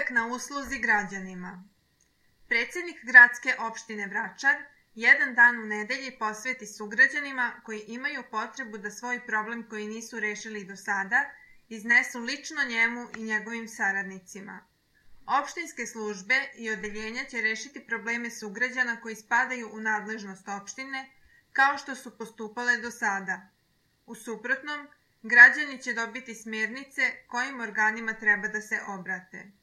Uvek na usluzi građanima. Predsednik gradske opštine Vračar jedan dan u nedelji posveti sugrađanima koji imaju potrebu da svoj problem koji nisu rešili do sada iznesu lično njemu i njegovim saradnicima. Opštinske službe i odeljenja će rešiti probleme sugrađana koji spadaju u nadležnost opštine, kao što su postupale do sada. U suprotnom, građani će dobiti smernice kojim organima treba da se obrate.